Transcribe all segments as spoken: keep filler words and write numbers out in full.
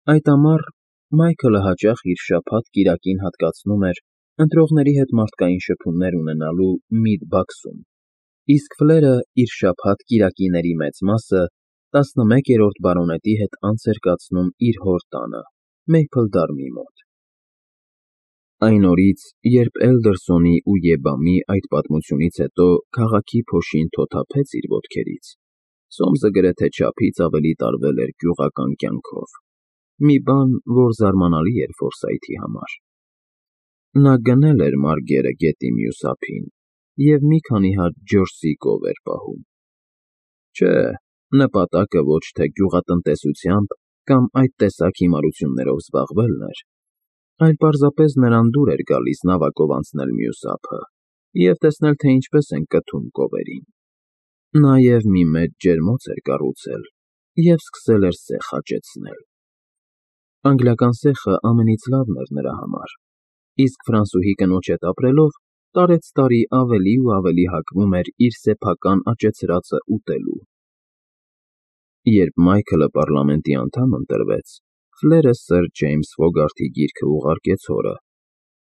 Այդ ամառ Մայքլը հաճախ իր շաբաթ֊կիրակին հատկացնում էր ընտրողների հետ մարդկային շփումներ ունենալու Միդբաքսում, իսկ Ֆլերը իր շաբաթ֊կիրակիների մեծ մասը տասնմեկերորդ բարոնետի հետ անց էր կացնում իր հոր տանը, Մեյփլդարմի մոտ։ Այն օրից, երբ Էլդերսոնի ու Եբամի այդ պատմությունից հետո քաղաքի փոշին թոթափեց իր ոտքերից, Սոմսը գրեթե չափից ավելի տարվել էր գյուղական կյանքով, մի բան, որ զարմանալի էր Ֆորսայթի համար։ Նա գնել էր Մարգերը գետի մյուս ափին և մի քանի հատ ջրսի կով էր պահում։ Չէ, նպատակը ոչ թե գյուղատնտեսությամբ կամ այդ տեսակ հիմարություններով զբաղվելն էր, այլ պարզապես նրան դուր էր գալիս նավակով անցնել մյուս ափը և տեսնել, թե ինչպես են կթում կովերին։ Նաև մի մեծ ջերմոց էր կառուցել և սկսել էր սեխ աճեցնել։ Անգլիական սեխը ամենից լավն էր նրա համար, իսկ ֆրանսուհի կնոջ հետ ապրելով տարեցտարի ավելի ու ավելի հակվում էր իր սեփական աճեցրածը ուտելու։ Երբ Մայքլը պառլամենտի անդամ ընտրվեց, Ֆլերը սըր Ջեյմս Ֆոգարթի գիրքը ուղարկեց հորը,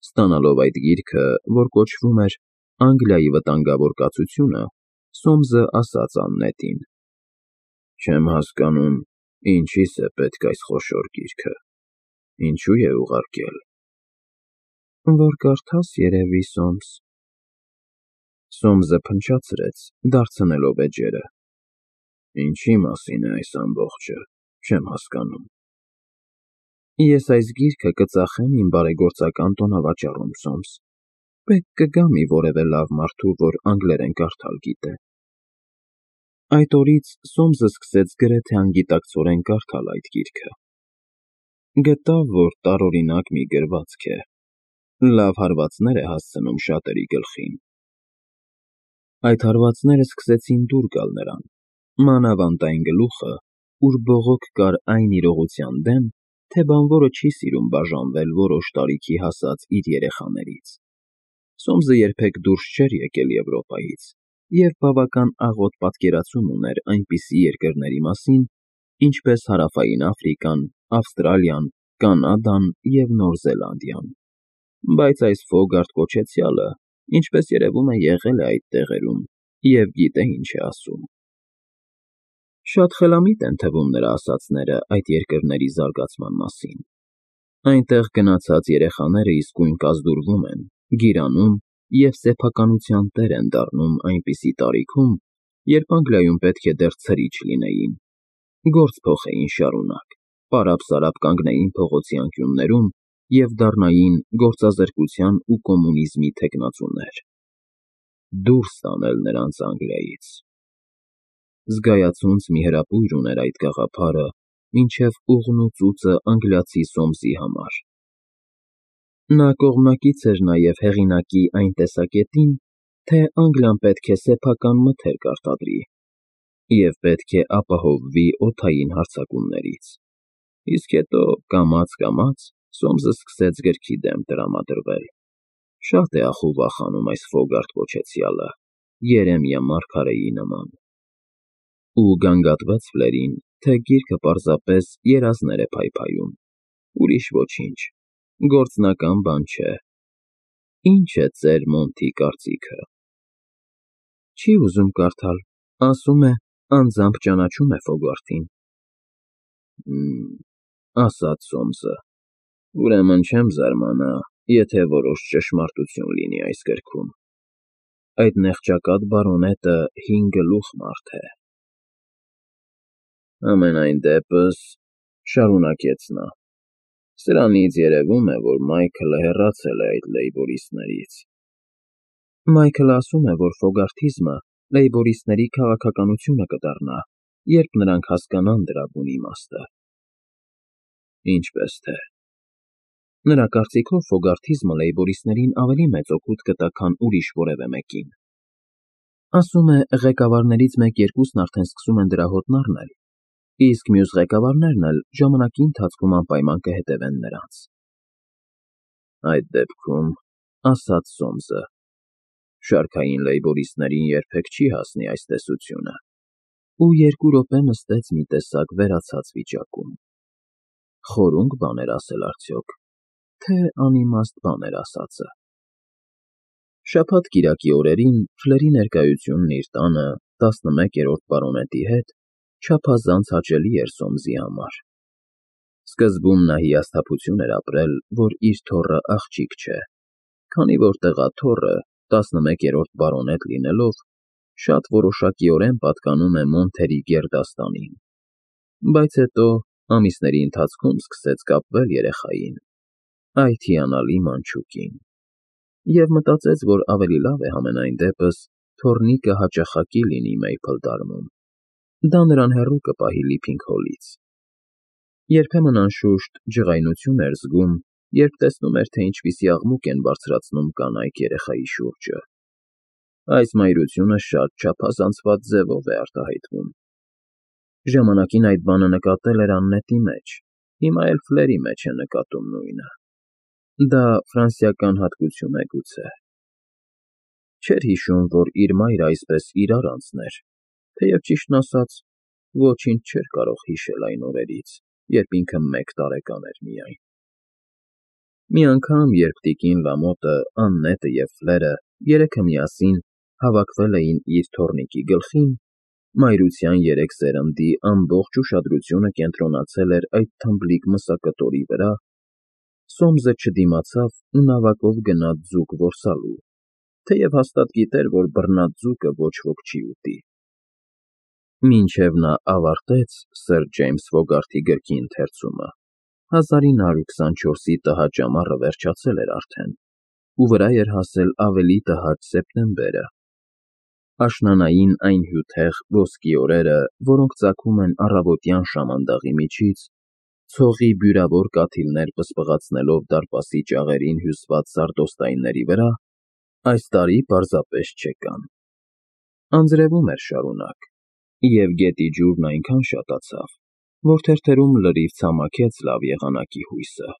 ստանալով այդ գիրքը, որ կոչվում էր «Անգլիայի վտանգավոր կացությունը», Սոմսը ասաց Աննետին. «Չեմ հասկանում, ինչիս է պետք այս խոշոր գիրքը, ինչու է ուղարկել»։ «Որ կարդաս, երևի, Սոմս»։ Սոմսը փնչացրեց, դարձնելով էջերը։ «Ինչի՞ մասին է այս ամբողջը, չեմ հասկանում»։ «Ես այս գիրքը կծախեմ իմ բարեգործական տոնավաճառում, Սոմս, պետք կգա մի որևէ լավ մարդու, որ անգլերեն կարդալ գիտե»։ Այդ օրից Սոմսը սկսեց գրեթե անգիտակցորեն կարդալ այդ գիրքը։ Գտավ, որ տարօրինակ մի գրվածք է, լավ հարվածներ է հասցնում շատերի գլխին։ Այդ հարվածները սկսեցին դուր գալ նրան, մանավանդ այն գլուխը, ուր բողոք կար այն իրողության դեմ, թե բանվորը չի սիրում բաժանվել որոշ տարիքի հասած իր երեխաներից։ Սոմսը երբեք դուրս չէր եկել Եվրոպայից և բավական աղոտ պատկերացում ուներ այնպիսի երկրների մասին, ինչպես Հարավային Աֆրիկան, Ավստրալիան, Կանադան և Նոր Զելանդիան, բայց այս Ֆոգարտ կոչեցյալը, ինչպես երևում է, եղել է այդ տեղերում և գիտե ինչ է ասում։ Շատ խելամիտ են թվում նրա ասածները այդ երկրների զարգացման մասին։ Այնտեղ գնացած երեխաները իսկույն կազդուրվում են, գիրանում և սեփականության տեր են դառնում այնպիսի տարիքում, երբ Անգլիայում պետք է դեռ ցրիչ լինեին, գործ փոխեին շարունակ, պարապ֊սարապ կանգնեին փողոցի անկյուններում և դառնային գործազրկության ու կոմունիզմի թեկնածուներ։ Դուրս տանել նրանց Անգլիայից։ Զգայացունց մի հրապույր ուներ այդ գաղափարը մինչև ուղն ու ծուծը անգլիացի Սոմսի համար։ Նա կողմնակից էր նաև հեղինակի այն տեսակետին, թե Անգլիան պետք է սեփական մթերք արտադրի և պետք է ապահովվի օդային հարձակումներից, իսկ հետո, կամաց֊կամաց, Սոմսը սկսեց գրքի դեմ տրամադրվել։ Շատ է ախ ու վախենում այս Ֆոգարտ կոչեցյալը, երեմիա մարգարեի նման։ Ու գանգատվեց Ֆլերին, թե գիրքը պարզապես երազներ է փայփայում, ուրիշ ոչինչ, գործնական բան չէ։ Ի՞նչ է ծեր Մոնթի կարծիքը։ Չի ուզում կարդալ, ասում է, անձամբ ճանաչում է Ֆոգարտին։ Հ'մ, ասաց Սոմսը, ուրեմն չեմ զարմանա, եթե որոշ ճշմարտություն լինի այս գրքում։ Այդ նեղճակատ բարոնետը հին գլուխ մարդ է։ Համենայն դեպս, շարունակեց նա, սրանից երևում է, որ Մայքլը հեռացել է այդ լեյբորիստներից։ Մայքլը ասում է, որ ֆոգարթիզմը լեյբորիստների քաղաքականությունը կդառնա, երբ նրանք հասկանան դրա բուն իմաստը։ Ինչպես թե։ Նրա կարծիքով ֆոգարթիզմը լեյբորիստներին ավելի մեծ օգուտ կտա, քան ուրիշ որևէ մեկին։ Ասում է, ղեկավարներից մեկ֊երկուսն արդեն սկսում են դրա հոտն առնել, իսկ մյուս ղեկավարներն էլ ժամանակի ընթացքում անպայման կհետևեն նրանց։ Այդ դեպքում, ասաց Սոմսը, շարքային լեյբորիստներին երբեք չի հասնի այս տեսությունը, ու երկու րոպե նստեց մի տեսակ վերացած վիճակում։ խորունկ բան էր ասել արդյոք, թե անիմաստ բան էր ասածը։ Շաբաթ֊կիրակի օրերին Ֆլերի ներկայությունն իր տանը տասնմեկերորդ պարոնետի հետ չափազանց հաճելի էր Սոմսի համար։ Սկզբում նա հիասթափություն էր ապրել, որ իր թոռը աղջիկ չէ, քանի որ տեղաթոռը, տասնմեկերորդ պարոնետ լինելով, շատ որոշակիորեն պատկանում է Մոնթերի գերդաստանին, բայց հետո ամիսների ընթացքում սկսեց կապվել երեխային, այդ հիանալի մանչուկին, և մտածեց, որ ավելի լավ է համենայն դեպս թոռնիկը հաճախակի լինի Մեյփլդարմում, դա նրան հեռու կպահի Լիփինգհոլից։ Երբեմն, անշուշտ, ջղայնություն էր զգում, երբ տեսնում էր, թե ինչպիսի աղմուկ են բարձրացնում կանայք երեխայի շուրջը։ Այս մայրությունը շատ չափազանցված ձևով է արտահայտվում։ Ժամանակին այդ բանը նկատել էր Աննետի մեջ, հիմա էլ Ֆլերի մեջ է նկատում նույնը։ Դա ֆրանսիական հատկություն է գուցե։ Չէր հիշում, որ իր մայրը այսպես իրար անցներ, թեև ճիշտն ասած, ոչինչ չէր կարող հիշել այն օրերից, երբ ինքը մեկ տարեկան էր միայն։ Մի անգամ, երբ տիկին Լամոտը, Աննետը և Ֆլերը երեքը միասին հավաքվել էին իր թոռնիկի գլխին, մայրության երեք սերնդի ամբողջ ուշադրությունը կենտրոնացել էր այդ թմբլիկ մսակտորի վրա, Սոմսը չդիմացավ ու նավակով գնաց ձուկ որսալու, թեև հաստատ գիտեր, որ բռնած ձուկը ոչ ոք չի ուտի։ Մինչև նա ավարտեց սըր Ջեյմս Ֆոգարթի գրքի ընթերցումը, հազար ինը հարյուր քսանչորսի տհաճ ամառը վերջացել էր արդեն, ու վրա էր հասել ավելի տհաճ սեպտեմբերը, աշնանային այն հյութեղ ոսկի օրերը, որոնք ծագում են առավոտյան շամանդաղի միջից, ցողի բյուրավոր կաթիլներ պսպղացնելով դարպասի ճաղերին հյուսված սարդոստայնների վրա, այս տարի պարզապես չեկան։ Անձրևում էր շարունակ, և գետի ջուրն այնքան շատացավ, որ թերթերում լրիվ ցամաքեց լավ եղանակի հույսը,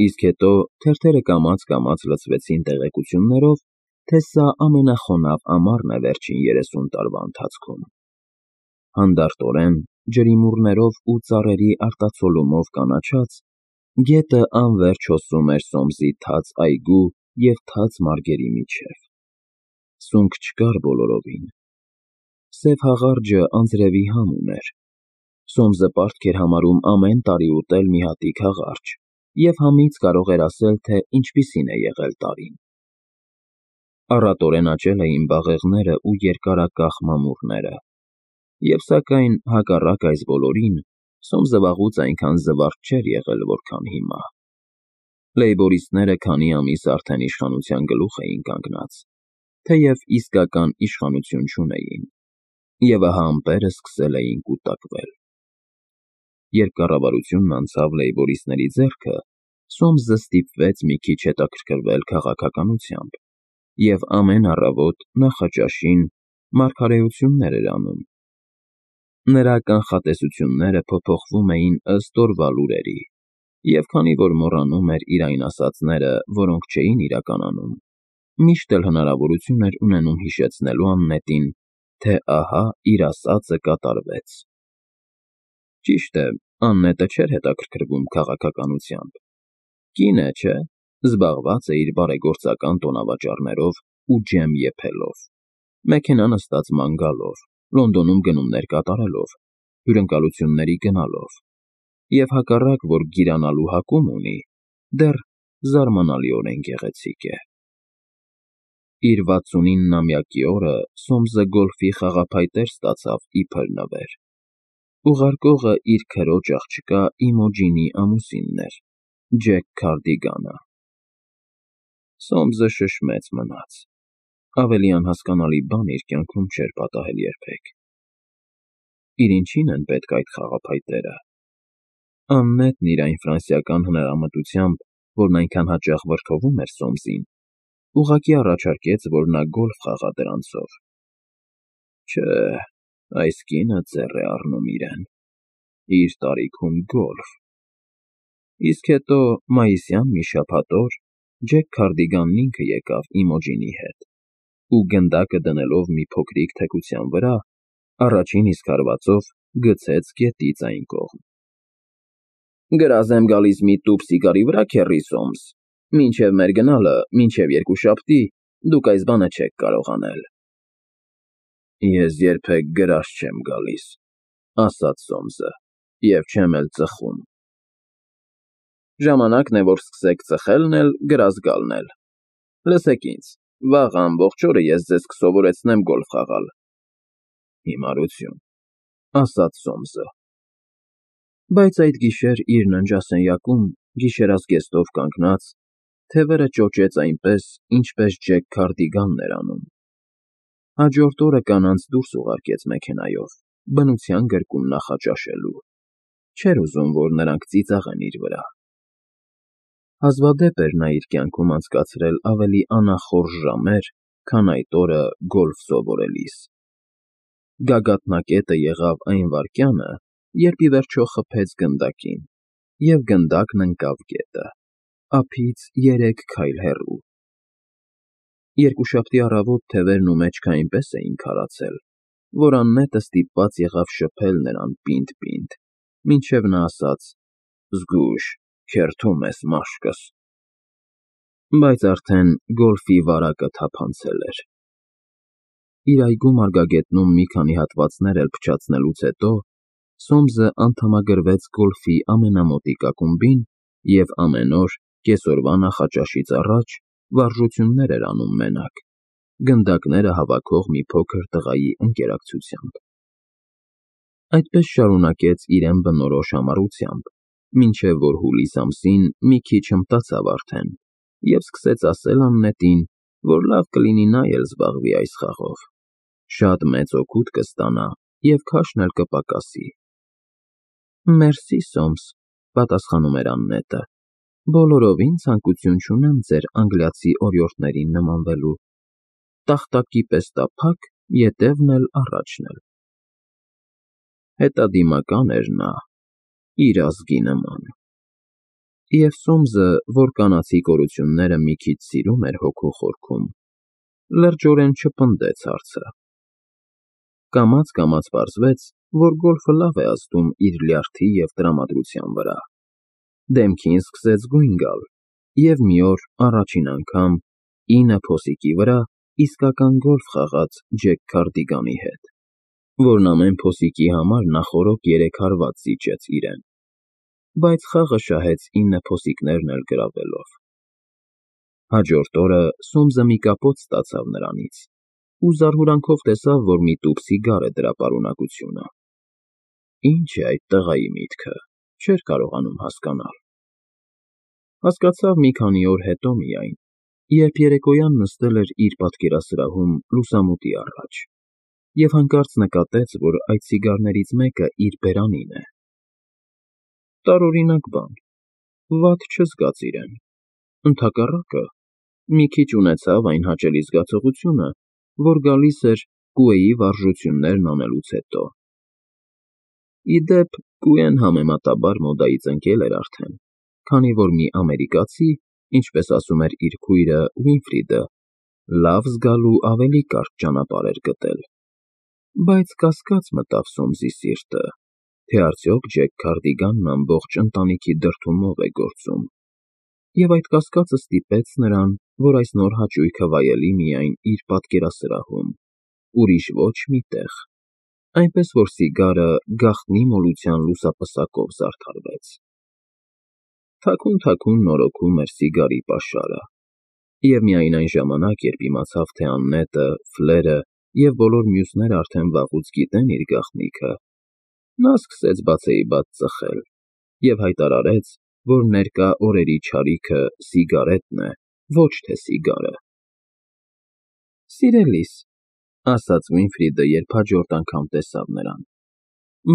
իսկ հետո թերթերը կամաց֊կամաց լցվեցին տեղեկություններով, թե սա ամենախոնավ ամառն է վերջին երեսուն տարվա ընթացքում։ Հանդարտորեն, ջրիմուռներով ու ծառերի արտացոլումով կանաչած, գետը անվերջ հոսում էր Սոմսի թաց այգու և թաց մարգերի միջև։ Սունկ չկար բոլորովին։ Սև հաղարջը անձրևի համ ուներ։ Սոմսը պարտք էր համարում ամեն տարի ուտել մի հատիկ հաղարջ և համից կարող էր ասել, թե ինչպիսին է եղել տարին։ Առատորեն աճել էին բաղեղները ու երկարակախ մամուռները, և սակայն, հակառակ այս բոլորին, Սոմսը վաղուց այնքան զվարթ չէր եղել, որքան հիմա։ Լեյբորիստները քանի ամիս արդեն իշխանության գլուխ էին կանգնած, թեև իսկական իշխանություն չունեին, և ահա ամպերը սկսել էին կուտակվել։ Երբ կառավարությունն անցավ լեյբորիստների ձեռքը, Սոմսը ստիպվեց մի քիչ հետաքրքրվել քաղաքականությամբ և ամեն առավոտ նախաճաշին մարգարեություններ էր անում։ Նրա կանխատեսությունները փոփոխվում էին ըստ օրվա լուրերի, և քանի որ մոռանում էր իր այն ասածները, որոնք չէին իրականանում, միշտ էլ հնարավորություն էր ունենում հիշեցնելու Աննետին, թե ահա իր ասածը կատարվեց։ Ճիշտ է, Աննետը չէր հետաքրքրվում քաղաքականությամբ։ Կին է, չէ՞, զբաղված է իր բարեգործական տոնավաճառներով ու ջեմ եփելով, մեքենա նստած ման գալով, Լոնդոնում գնումներ կատարելով, հյուրընկալությունների գնալով, և հակառակ, որ գիրանալու հակում ունի, դեռ զարմանալիորեն գեղեցիկ է։ Իր վաթսունիննամյակի օրը Սոմսը գոլֆի խաղափայտեր ստացավ իբր նվեր։ Ուղարկողը իր քրոջ աղջկա Իմոջինի ամուսինն էր, Ջեք Քարդիգանը։ Սոմսը շշմեց մնաց։ Ավելի անհասկանալի բան իր կյանքում չէր պատահել երբեք։ Իր ինչի՞ն են պետք այդ խաղափայտերը։ Աննետն իր այն ֆրանսիական հնարամտությամբ, որն այնքան հաճախ վրդովում էր Սոմսին, ուղղակի առաջարկեց, որ նա գոլֆ խաղա դրանցով։ Չէ, այս կինը ձեռ է առնում իրեն։ Իր տարիքում գոլֆ։ Իսկ հետո, մայիսյան մի շաբաթ օր, Ջեք Քարդիգանն ինքը եկավ Իմոջինի հետ ու, գնդակը դնելով մի փոքրիկ թեքության վրա, առաջին իսկ հարվածով գցեց գետից այն կողմ։ Գրազ եմ գալիս մի տուփ սիգարի վրա, քեռի Սոմս, մինչև մեր գնալը, մինչև երկուշաբթի, դուք այս բանը չեք կարող անել։ Ես երբեք գրազ չեմ գալիս, ասաց Սոմսը, և չեմ էլ ծխում։ Ժամանակն է, որ սկսեք ծխելն էլ, գրազ գալն էլ։ Լսեք ինձ, վաղ ամբողջ օրը ես ձեզ կսովորեցնեմ գոլֆ խաղալ։ Հիմարություն, ասաց Սոմսը։ Բայց այդ գիշեր իր ննջասենյակում, գիշերազգեստով կանգնած, թևերը ճոճեց այնպես, ինչպես Ջեք Քարդիգանն էր անում։ Հաջորդ օրը կանանց դուրս ուղարկեց մեքենայով, բնության գրկում նախաճաշելու։ Չէր ուզում, որ նրանք ծիծաղեն իր վրա։ Հազվադեպ էր նա իր կյանքում անցկացրել ավելի անախորժ ժամեր, քան այդ օրը գոլֆ սովորելիս։ Գագաթնակետը եղավ այն վայրկյանը, երբ ի վերջո խփեց գնդակին, և գնդակն ընկավ գետը, ափից երեք քայլ հեռու։ Երկուշաբթի առավոտ թևերն ու մեջքը այնպես էին քարացել, որ աննետը ստիպված եղավ շփել նրան պինդ֊պինդ, մինչև նա ասաց. «Զգույշ, քերթում ես, մաշկս»։ Բայց արդեն գոլֆի վարակը թափանցել էր։ Իր այգու մարգագետնում մի քանի հատվածներ էլ փչացնելուց հետո Սոմսը անդամագրվեց գոլֆի ամենամոտիկ ակումբին և ամեն օր, կեսօրվա նախաճաշից առաջ, վարժություններ էր անում մենակ, գնդակները հավաքող մի փոքր տղայի ընկերակցությամբ։ Այդպես շարունակեց իրեն բնորոշ համառությամբ, մինչև որ հուլիս ամսին մի քիչ հմտացավ արդեն և սկսեց ասել աննետին, որ լավ կլինի նա էլ զբաղվի այս խաղով, շատ մեծ օգուտ կստանա և քաշն էլ կպակասի։ Մերսի, Սոմս, պատասխանում էր աննետը, բոլորովին ցանկություն չունեմ ձեր անգլիացի օրիորդներին նմանվելու, տախտակի պես տափակ, ետևն էլ առաջն էլ։ Հետադիմական էր նա, իր ազգի նման։ Եվ Սոմսը, որ կանացի կորությունները մի քիչ սիրում էր հոգու խորքում, լրջորեն չպնդեց հարցը։ Կամաց֊կամաց պարզվեց, որ գոլֆը լավ է ազդում իր լյարդի և տրամադրության վրա։ Դեմքին սկսեց գույն գալ, և մի օր առաջին անգամ ինը փոսիկի վրա իսկական գոլֆ խաղաց Ջեք Քարդիգանի հետ, որն ամեն փոսիկի համար նախօրոք երեք հարված զիջեց իրեն, բայց խաղը շահեց ինը փոսիկներն էլ գրավելով։ Հաջորդ օրը Սոմսը մի կապոց ստացավ նրանից ու զարհուրանքով տեսավ, որ մի տուփ սիգար է դրա պարունակությունը։ Ինչ է այդ տղայի միտքը, չէր կարողանում հասկանալ։ Հասկացավ մի քանի օր հետո միայն, երբ երեկոյան նստել էր իր պատկերասրահում լուսամուտի առաջ և հանկարծ նկատեց, որ այդ սիգարներից մեկը իր բերանին է։ Տարօրինակ բան, վատ չզգաց իրեն, ընդհակառակը, մի քիչ ունեցավ այն հաճելի զգացողությունը, որ գալիս էր կուեի վարժություններն անելուց հետո։ Ի դեպ, կուեն համեմատաբար մոդայից ընկել էր արդեն, քանի որ մի ամերիկացի, ինչպես ասում էր իր քույրը Ուինֆրիդը, լավ զգալու ավելի կարճ ճանապարհ էր գտել։ Բայց կասկած մտավ Սոմսի սիրտը, թե արդյոք Ջեք Քարդիգանն ամբողջ ընտանիքի դրդումով է գործում, և այդ կասկածը ստիպեց նրան, որ այս նոր հաճույքը վայելի միայն իր պատկերասրահում, ուրիշ ոչ մի տեղ, այնպես որ սիգարը գաղտնի մոլության լուսապսակով զարդարվեց։ Թաքուն֊թաքուն նորոգում էր սիգարի պաշարը, և միայն այն ժամանակ, երբ իմացավ, թե Աննետը, Ֆլերը և բոլոր մյուսները արդեն վաղուց գիտեն իր գաղտնիքը, նա սկսեց բացեիբաց ծխել և հայտարարեց, որ ներկա օրերի չարիքը սիգարետն է, ոչ թե սիգարը։ Սիրելիս, ասաց Վինֆրիդը, երբ հաջորդ անգամ տեսավ նրան,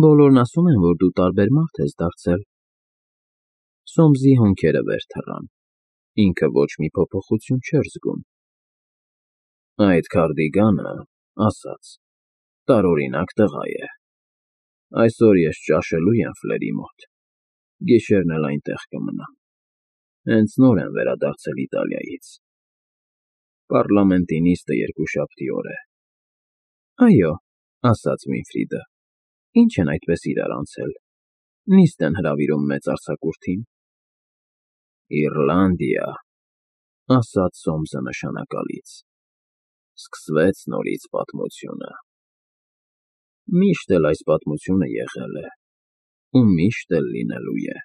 բոլորն ասում են, որ դու տարբեր մարդ ես դարձել։ Սոմսի հոնքերը վեր թռան, ինքը ոչ մի փոփոխություն չէր զգում։ Այդ Քարդիգանը, ասաց, տարօրինակ տղա է։ Այսօր ես ճաշելու եմ Ֆլերի մոտ, գիշերն էլ այնտեղ կմնամ, հենց նոր եմ վերադարձել Իտալիայից։ Պառլամենտի նիստը երկուշաբթի օր է։ Այո, ասաց Վինֆրիդը, ինչ են այդպես իրար անցել։ Նիստ են հրավիրում մեծ արձակուրդին։ ֊ Իռլանդիա, ֊ ասաց Սոմսը նշանակալից, ֊ սկսվեց նորից պատմությունը… Միշտ էլ այս պատմությունը եղել է ու միշտ էլ լինելու է։